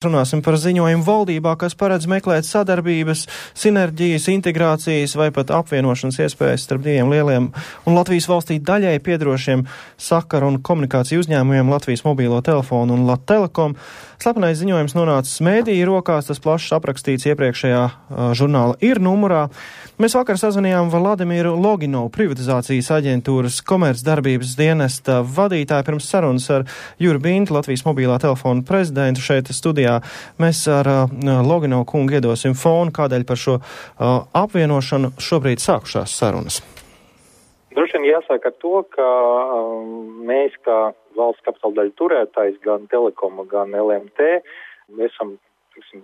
Runāsim par ziņojumu valdībā, kas paredz meklēt sadarbības, sinerģijas, integrācijas vai pat apvienošanas iespējas starp diviem lieliem un Latvijas valstī daļai piedrošiem sakaru un komunikāciju uzņēmumiem Latvijas mobīlo telefonu un Lat-Telekom. Slepenais ziņojums nonācis mēdīju rokās, tas plašs aprakstīts iepriekšējā žurnāla Ir numurā. Mēs vakar sazvanījām Vladimiru Loginovu, privatizācijas aģentūras komercdarbības dienesta vadītāju, pirms sarunas ar Juri Bintu, Latvijas mobilā telefona prezidentu šeit studijā. Mēs ar Loginovu kungu iedosim fonu, kādēļ par šo apvienošanu šobrīd sākušās sarunas. Droši vien jāsaka ar to, ka mēs kā valsts kapitāla daļu turētājs, gan Telekoma, gan LMT, esam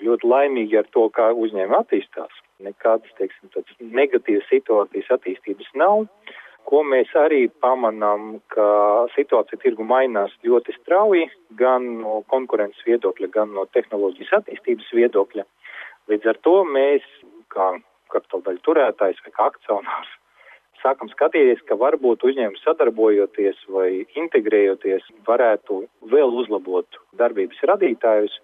ļoti laimīgi ar to, kā uzņēmumi attīstās. Nekādas, tādas negatīvas situācijas attīstības nav. Ko mēs arī pamanām, ka situācija tirgu mainās ļoti strauji, gan no konkurences viedokļa, gan no tehnoloģijas attīstības viedokļa. Līdz ar to mēs, kā kapitāla daļu turētājs vai kā akcionārs, sākam skatīties, ka varbūt uzņēmumi sadarbojoties vai integrējoties varētu vēl uzlabot darbības radītājus,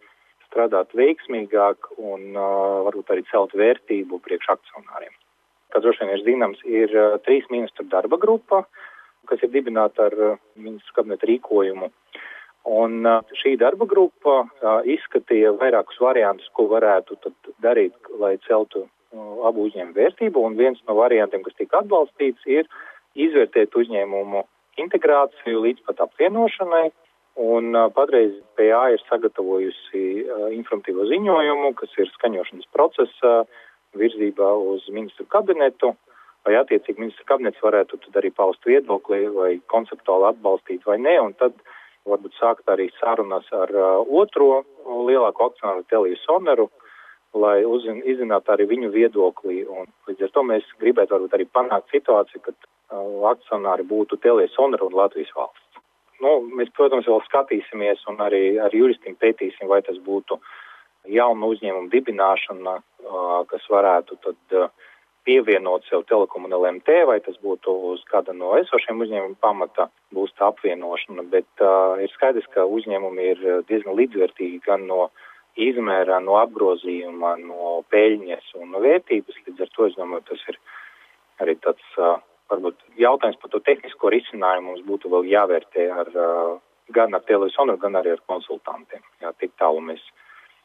strādāt veiksmīgāk un varbūt arī celt vērtību priekš akcionāriem. Kā droši vien ir zināms, ir 3 ministru darba grupa, kas ir dibināta ar ministru kabineta rīkojumu. Un šī darba grupa izskatīja vairākus variantus, ko varētu tad darīt, lai celtu abu uzņēmumu vērtību. Un viens no variantiem, kas tika atbalstīts, ir izvērtēt uzņēmumu integrāciju līdz pat apvienošanai. Un patreiz PA ir sagatavojusi informatīvo ziņojumu, kas ir skaņošanas procesa virzībā uz ministru kabinetu, vai attiecīgi ministru kabinets varētu tad arī paust viedokli vai konceptuāli atbalstīt vai ne, un tad varbūt sākt arī sarunas ar otro lielāko akcionāru TeliaSoneru, lai izzinātu arī viņu viedokli, un līdz ar to mēs gribētu varbūt arī panākt situāciju, kad akcionāri būtu TeliaSonera un Latvijas valsts. Mēs, protams, vēl skatīsimies un arī ar juristiem pētīsim, vai tas būtu jauna uzņēmuma dibināšana, kas varētu tad pievienot sev Telekom un LMT, vai tas būtu uz kāda no esošiem uzņēmuma pamata, būs tā apvienošana, bet ir skaidrs, ka uzņēmumi ir diezgan līdzvērtīgi gan no izmērā, no apgrozījuma, no peļņas un no vērtības, līdz ar to, es domāju, tas ir arī tāds varbūt jautājums par to tehnisko risinājumu mums būtu vēl jāvērtē gan ar TeliaSoneru, gan arī ar konsultantiem. Jā, tik tālu mēs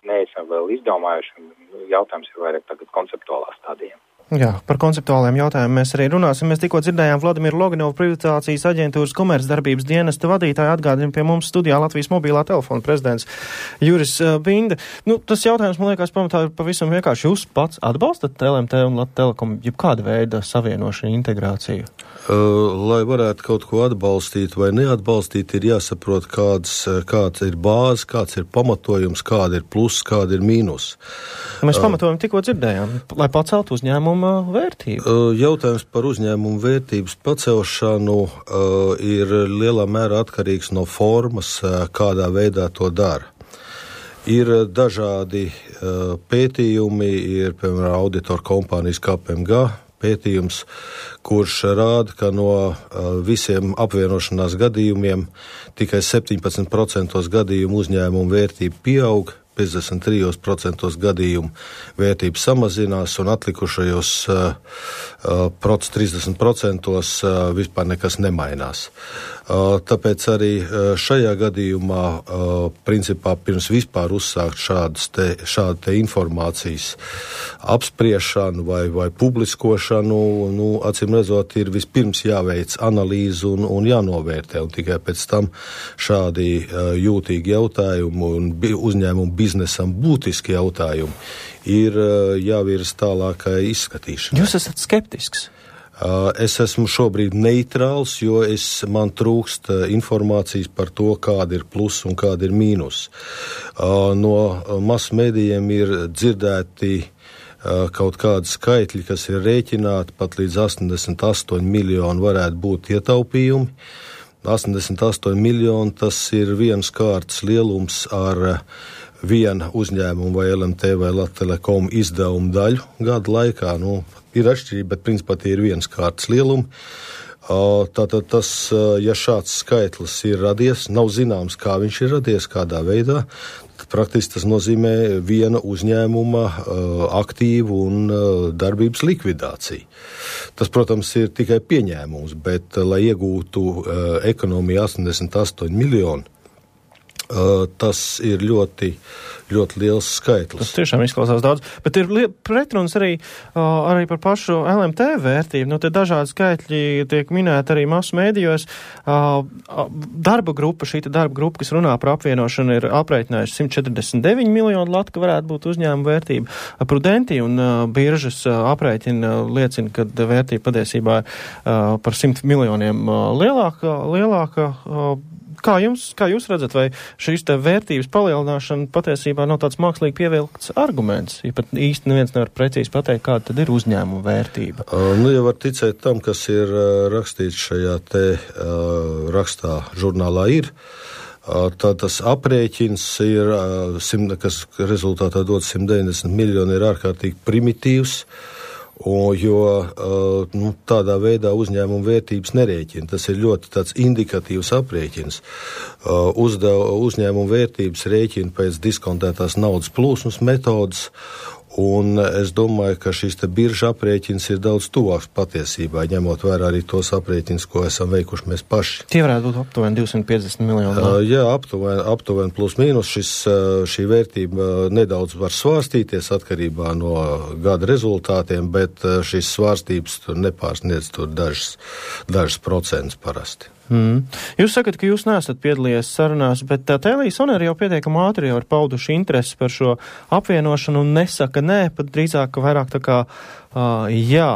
neesam vēl izdomājuši, jautājums ir vairāk tagad konceptuālā stadijā. Jā, par konceptuāliem jautājumiem mēs arī runāsim. Mēs tikko dzirdējām Vladimiru Loginovu, privatizācijas aģentūras komercdarbības dienesta vadītāju, atgādina pie mums studijā Latvijas mobilā telefona prezidents Juris Binda. Tas jautājums, man liekas, pamatā ir pavisam vienkārši. Jūs pats atbalstat LMT un Lat-Telekom jebkāda veida savienošanu, integrāciju? Lai varētu kaut ko atbalstīt vai neatbalstīt, ir jāsaprot, kāds ir bāze, kāds ir pamatojums, kāda ir plus, kāda ir mīnus. Mēs pamatojumu tikko dzirdējām, lai paceltu uzņēmuma vērtību. Jautājums par uzņēmumu vērtības pacelšanu ir lielā mērā atkarīgs no formas, kādā veidā to dara. Ir dažādi pētījumi, ir, piemēram, auditoru kompānijas KPMG pētījums, kurš rāda, ka no visiem apvienošanās gadījumiem tikai 17% gadījumu uzņēmumu vērtība pieaug, 53% gadījumu vērtība samazinās un atlikušajos 30% vispār nekas nemainās. Tāpēc arī šajā gadījumā, principā, pirms vispār uzsākt šādu te informācijas apspriešanu vai publiskošanu, acīm redzot, ir vispirms jāveic analīze un jānovērtē, un tikai pēc tam šādi jūtīgi jautājumi un uzņēmumu biznesam būtiski jautājumi ir jāvirs tālākai izskatīšanai. Jūs esat skeptisks? Es esmu šobrīd neitrāls, jo man trūkst informācijas par to, kāda ir plus un kāda ir mīnus. No masmedijiem ir dzirdēti kaut kādi skaitļi, kas ir rēķināti, pat līdz 88 miljoni varētu būt ietaupījumi. 88 miljoni, tas ir viens kārtas lielums ar viena uzņēmuma vai LMT vai Lat-Telekom izdevumu daļu gada laikā. Ir atšķirība, bet principā tie ir viens kārtas lielumi. Tātad ja šāds skaitlis ir radies, nav zināms, kā viņš ir radies, kādā veidā, praktiski tas nozīmē viena uzņēmuma aktīvu un darbības likvidāciju. Tas, protams, ir tikai pieņēmums, bet, lai iegūtu ekonomiju 88 miljoni, tas ir ļoti liels skaitlis. Tas tiešām izklausās daudz, bet ir pretruns arī par pašu LMT vērtību. Nu, te dažādi skaitļi tiek minēti arī masu mēdījos. Darba grupa, kas runā par apvienošanu, ir aprēķinājuši 149 miljonu latu, ka varētu būt uzņēmuma vērtība. Prudenti un biržas aprēķina liecina, ka vērtība patiesībā par 100 miljoniem lielāka. Kā jūs redzat, vai šīs te vērtības palielināšana patiesībā nav tāds mākslīgi pievilkts arguments? Ja pat īsti neviens nevar precīzi pateikt, kāda tad ir uzņēmuma vērtība. Ja var ticēt tam, kas ir rakstīts šajā te rakstā žurnālā ir, tad tas aprēķins ir, kas rezultātā dod 190 miljoni, ir ārkārtīgi primitīvs. Jo tādā veidā uzņēmuma vērtības nerēķina. Tas ir ļoti tāds indikatīvs aprēķins. Uzņēmuma vērtības rēķina pēc diskontētās naudas plūsmas metodas, un es domāju, ka šis te birža aprēķins ir daudz tuvāks patiesībā, ņemot vērā arī tos aprēķins, ko esam veikuši mēs paši. Tie varētu būt aptuveni 250 miljoni. Jā, aptuveni plus mīnus. Šī vērtība nedaudz var svārstīties atkarībā no gada rezultātiem, bet šīs svārstības tur nepārsniedz tur dažas procentus parasti. Jūs sakat, ka jūs neesat piedalījies sarunās, bet Tele-Sonera jau pietiekami ātri jau ir pauduši interesi par šo apvienošanu un nesaka nē, pat drīzāk, ka vairāk tā kā jā.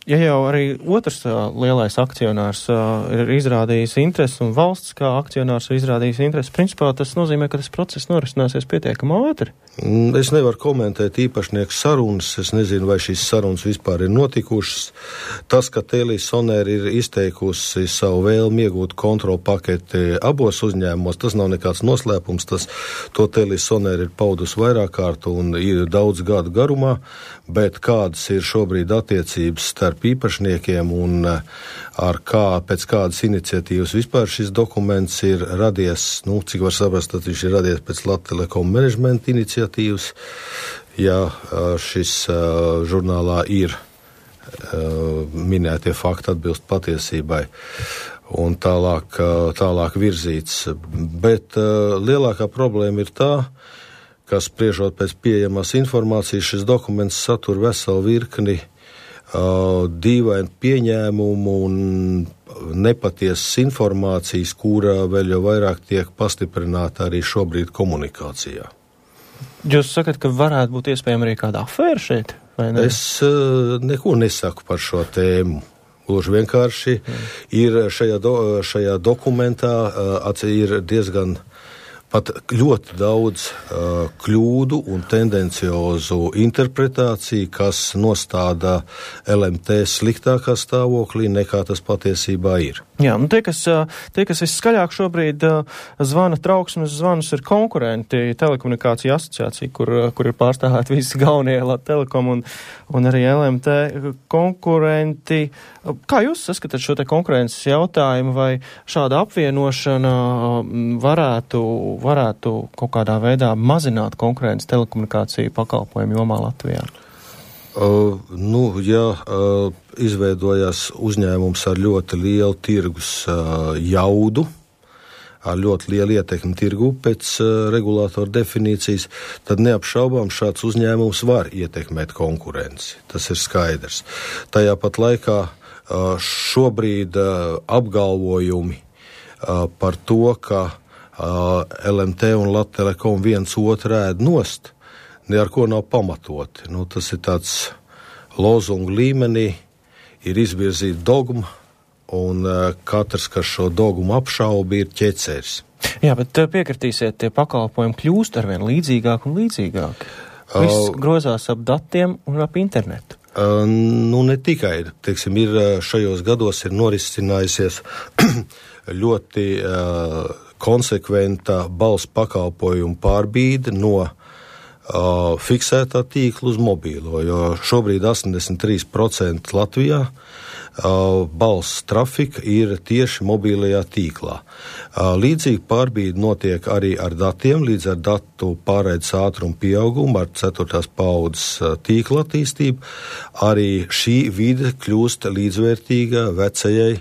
Ja jau arī otrs lielais akcionārs ir izrādījis interesi un valsts kā akcionārs ir izrādījis interesi, principā tas nozīmē, ka tas process norisināsies pietiekami ātri. Es nevaru komentēt īpašnieku sarunas, es nezinu, vai šīs sarunas vispār ir notikušas. Tas, ka Tele-Sonera ir izteikusi savu vēlmi iegūt kontrolu paketi abos uzņēmumos, tas nav nekāds noslēpums, to Tele-Sonera ir paudusi vairāk kārt un ir daudz gadu garumā, bet kādas ir šobrīd attiecības starp īpašniekiem un pēc kādas iniciatīvas vispār šis dokuments ir radies, cik var saprast, tad viņš ir radies pēc Latvijas Telekom menedžmenta iniciatīvas, ja šis žurnālā ir minētie fakti atbilst patiesībai un tālāk virzīts. Bet lielākā problēma ir tā, ka spriežot pēc pieejamās informācijas, šis dokuments satur veselu virkni dīvainu pieņēmumu un nepatiesas informācijas, kura vēl jau vairāk tiek pastiprināta arī šobrīd komunikācijā. Jūs sakat, ka varētu būt iespējama arī kāda afēra šeit, vai ne? Es neko nesaku par šo tēmu. Gluži vienkārši ir šajā dokumentā ir diezgan pat ļoti daudz kļūdu un tendenciozu interpretāciju, kas nostāda LMT sliktākā stāvoklī, nekā tas patiesībā ir. Jā, tie, kas visskaļāk šobrīd zvana trauksmes zvanus, ir konkurenti telekomunikāciju asociācija, kur ir pārstāvēti visi galvenie Telekom un arī LMT konkurenti. Kā jūs saskatāt šo te konkurences jautājumu, vai šāda apvienošana varētu kaut kādā veidā mazināt konkurences telekomunikāciju pakalpojumu jomā Latvijā? Izveidojās uzņēmums ar ļoti lielu tirgus jaudu, ar ļoti lielu ietekmi tirgu pēc regulātora definīcijas, tad neapšaubām šāds uzņēmums var ietekmēt konkurenci. Tas ir skaidrs. Tajā pat laikā šobrīd apgalvojumi par to, ka LMT un Latvijas Telekom viens otru ēd nost, ar ko nav pamatoti. Tas ir tāds lozungu līmenī, ir izvirzīta dogma, un katrs, kas šo dogmu apšauba, ir ķeceris. Jā, bet piekritīsiet, tie pakalpojumi kļūst arvien līdzīgāk un līdzīgāk. Viss grozās ap datiem un ap internetu. Ne tikai, ir šajos gados ir norisinājusies ļoti konsekventa balss pakalpojumu pārbīde no fiksētā tīkla uz mobīlo, jo šobrīd 83% Latvijā balss trafika ir tieši mobīlajā tīklā. Līdzīgi pārbīde notiek arī ar datiem, līdz ar datu pārraides ātrumu pieaugumu, ar 4. paudzes tīkla attīstību. Arī šī vide kļūst līdzvērtīga vecajai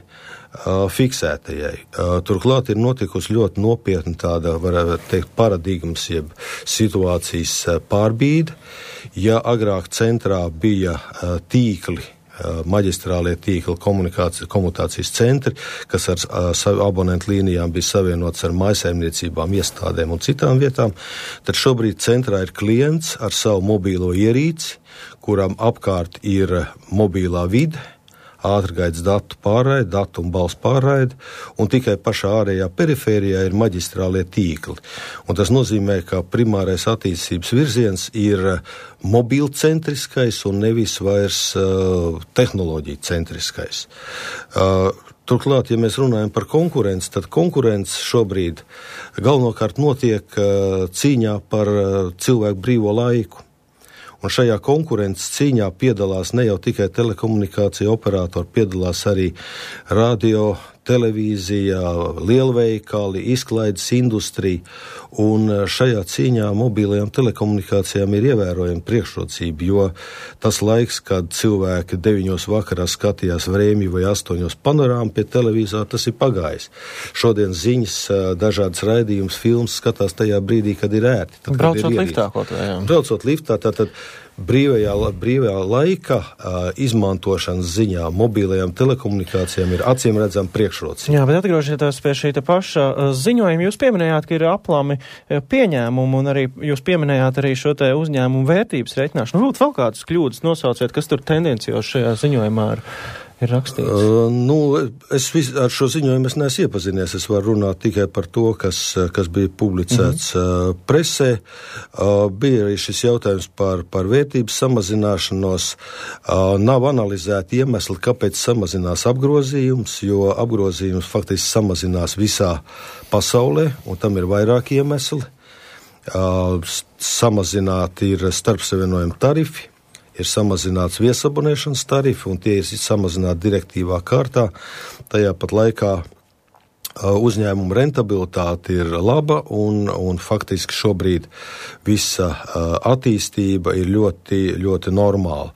fiksētajai. Turklāt ir notikusi ļoti nopietna tāda, varētu teikt, paradigmas jeb situācijas pārbīde. Ja agrāk centrā bija tīkli, maģistrālie tīkli, komunikācijas centri, kas ar abonentu līnijām bija savienots ar mājsaimniecībām, iestādēm un citām vietām, tad šobrīd centrā ir klients ar savu mobīlo ierīci, kuram apkārt ir mobīlā vide, ātrgaitas datu pārraide, datu un balss pārraide, un tikai pašā ārējā perifērijā ir maģistrālie tīkli. Un tas nozīmē, ka primārais attīstības virziens ir mobilcentriskais un nevis vairs tehnoloģija centriskais. Turklāt, ja mēs runājam par konkurenci, tad konkurence šobrīd galvenokārt notiek cīņā par cilvēku brīvo laiku. Un šajā konkurences cīņā piedalās ne jau tikai telekomunikācija operatori, piedalās arī radio, televīzija, lielveikali, izklaides industrija. Un šajā cīņā mobilajām telekomunikācijām ir ievērojama priekšrocība, jo tas laiks, kad cilvēki 9 vakarā skatījās Vrēmju vai 8 panorāmu pie televīzora, tas ir pagājis. Šodien ziņas, dažādas raidījumus, filmas skatās tajā brīdī, kad ir ērti. Tad, braucot liftā kaut vai, jā. Braucot liftā, tātad brīvajā laika izmantošanas ziņā mobilajām telekomunikācijām ir acīm redzama priekšrocība. Jā, bet atgriežoties pie šī paša ziņojuma, jūs pieminējāt, ka ir aplami pieņēmumi, un arī jūs pieminējāt arī šo te uzņēmumu vērtības reiķināšanu. Varbūt vēl kādas kļūdas nosauciet, kas tur tendencijoši šajā ziņojumā ir rakstīts? Ar šo ziņojumu es neesmu iepazinies. Es varu runāt tikai par to, kas bija publicēts presē. Bija arī šis jautājums par vērtības samazināšanos. Nav analizēti iemesli, kāpēc samazinās apgrozījums, jo apgrozījums faktiski samazinās visā pasaulē, un tam ir vairāki iemesli. Samazināti ir starpsavienojuma tarifi, ir samazināts viesabonēšanas tarifi, un tie ir samazināti direktīvā kārtā. Tajā pat laikā uzņēmuma rentabilitāte ir laba, un faktiski šobrīd visa attīstība ir ļoti, ļoti normāla.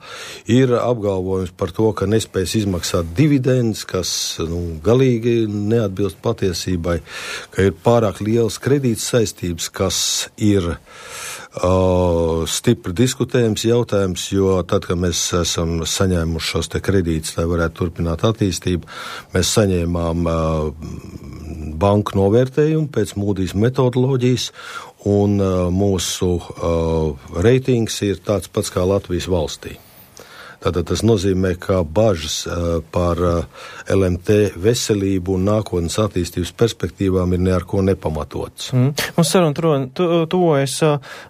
Ir apgalvojums par to, ka nespējas izmaksāt dividendus, kas galīgi neatbilst patiesībai, ka ir pārāk lielas kredītas saistības, kas ir stipri diskutējams jautājums, jo tad, kad mēs esam saņēmuši šos te kredītus, lai varētu turpināt attīstību, mēs saņēmām banku novērtējumu pēc Moody's metodoloģijas, un mūsu reitings ir tāds pats kā Latvijas valstī. Tātad tas nozīmē, ka bažas par LMT veselību un nākotnes attīstības perspektīvām ir ne ar ko nepamatots. Mums saruna tuvojas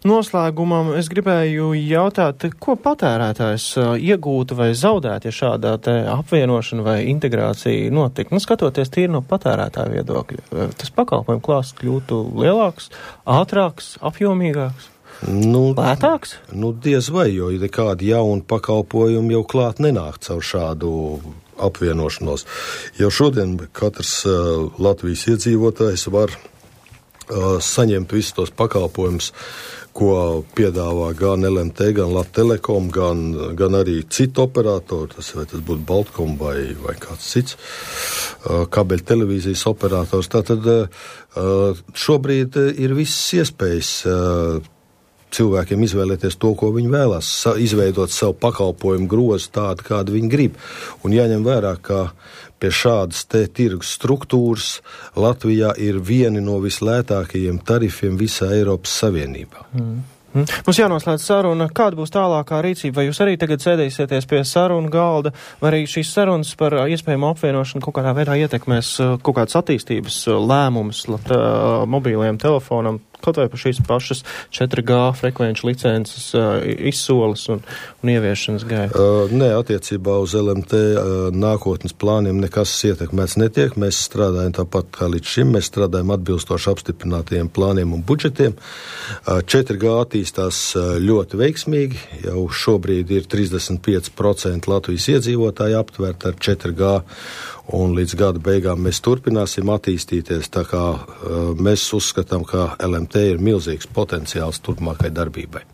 noslēgumam. Es gribēju jautāt, ko patērētājs iegūtu vai zaudētu, ja šādā te apvienošana vai integrācija notika? Skatoties tīri no patērētāja viedokļa, tas pakalpojumu klāsts kļūtu lielāks, ātrāks, apjomīgāks? Lētāks? Diez vai, jo nekādi jauni pakalpojumi jau klāt nenāk caur šādu apvienošanos. Jau šodien katrs Latvijas iedzīvotājs var saņemt visus tos pakalpojumus, ko piedāvā gan LMT, gan Latelekom, gan arī citu operatori, tas būtu Baltkom vai kāds cits kabeļu televīzijas operators. Tātad šobrīd ir visas iespējas cilvēkiem izvēlēties to, ko viņi vēlas, izveidot savu pakalpojumu grozu tādu, kādu viņi grib. Un jāņem vērā, ka pie šādas te tirgus struktūras Latvijā ir vieni no vislētākajiem tarifiem visā Eiropas Savienībā. Mums jānoslēdz saruna. Kāda būs tālākā rīcība? Vai jūs arī tagad sēdīsieties pie sarunu galda, vai arī šīs sarunas par iespējamu apvienošanu kaut kādā veidā ietekmēs kaut kādas attīstības lēmumus mobīlajiem telefonam, kaut vai par šīs pašas 4G frekvenču licences izsoles un ieviešanas gaitu? Nē, attiecībā uz LMT nākotnes plāniem nekas ietekmēts netiek. Mēs strādājam tāpat kā līdz šim. Mēs strādājam atbilstoši apstiprinātajiem plāniem un budžetiem. 4G attīstās ļoti veiksmīgi. Jau šobrīd ir 35% Latvijas iedzīvotāji aptvērti ar 4G. Un līdz gada beigām mēs turpināsim attīstīties, tā kā mēs uzskatām, ka LMT ir milzīgs potenciāls turpmākai darbībai.